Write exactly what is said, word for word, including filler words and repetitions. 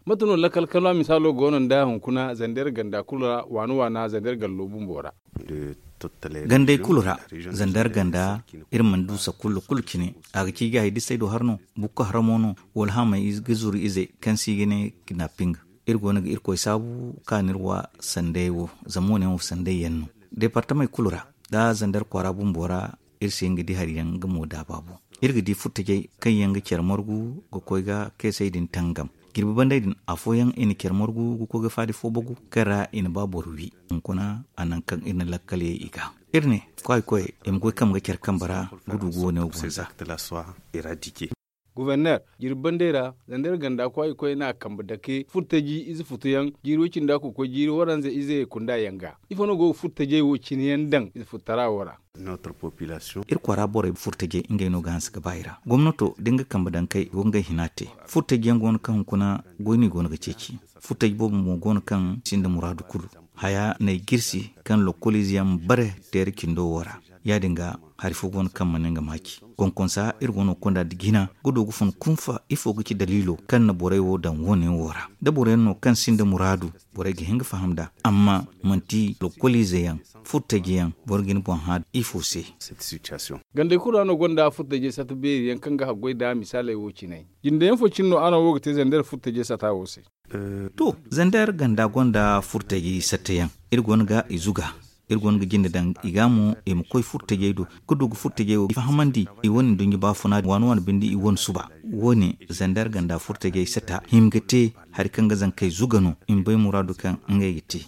Mate no lakkal kalwa misaalo go no nda hunkuna zander ganda kulu ra waana waana zander gallo bumbo ra? Gandey kulu ra, zander ganda, iri mana du sakullo kulu cine. A ga ci ga hay disay do har no, bukko haramo no, wala hamay ga zuru ize kaŋ se i ga ne kidnaping. Iri go no ga irkoy saabu ka no iri wa sanday wo, zama wo ne wo sanday yaŋ no deepartamey kulu ra, da zander kwaara bumbo ra. Iri si hin ga di hari yaŋ nga mo daaba boŋ. Iri ga di furtajey kaŋ yaŋ ga care margu ga koy ga keesey din tangam. Jirbi bandey din afooyaŋ i na care margu ga koy ga faadi fo bagu kaŋ ra i na ba boro wi. Hunkuna a naŋ kaŋ iri na lakkaley i ga, iri ne kwaay koy i ma goy kambe ga care kambe ra ga du ga wane wo gonza. Guverner, jirbi bandey ra, zander ganda kwaay koy na kambe dake furtaji ize futuyaŋ jiiri way cindi a kokoy jiiri waranza ize kunda yaŋ ga. Ifo no go ga furtajey wo cine yaŋ daŋ ize fututara wo ra? Iri kwaara borey furtajey ngey no ga hanse ga ba i ra. Gomnato da nga kambe daŋ kay go ngey hina te. Furtaji yaŋ go no kaŋ hunkuna goy no i go no ga ceeci. Furtaji boobo mo go no kaŋ sinda muraadu kulu. Haya n'ay jirsi kaŋ lokoliize yaŋ ma bare teere cindo wo ra. Ya- din ga hari fo go no kaŋ mana nga maaci. Konkonsa iri go no ga konda nda jina ga du ga fun kunfa ifo ga ci daliilo kaŋ na borey wo daŋ wo- ne wo ra? Da boro yaŋ no kaŋ sinda muraadu, borey ga hin ga faham nd'a. Amma manti lokoliize yaŋ, furtaji yaŋ, boro ga ni boŋ hã ifo se? Gandey kulu ra no gonda furtajey sata beeri yaŋ kaŋ ga haggoy nda misaaley wo cine. Jinde yaŋ fo cine no araŋ wo ga te zander furtajey sata wo se? To, zander ganda gonda furtajey sata yaŋ. Iri go no ga i zuga. Iri go no ga jinde daŋ i ga mo i ma koy furtajey do ga du ga furtajey wo fahamandi i wane nduɲɲa baafuna waani waani binde i wane suba. Wo- ne zander ganda furtajey sata hima ga te hari kaŋ ga zankey zuga no i ma bay muraadu kaŋ ngey ga te.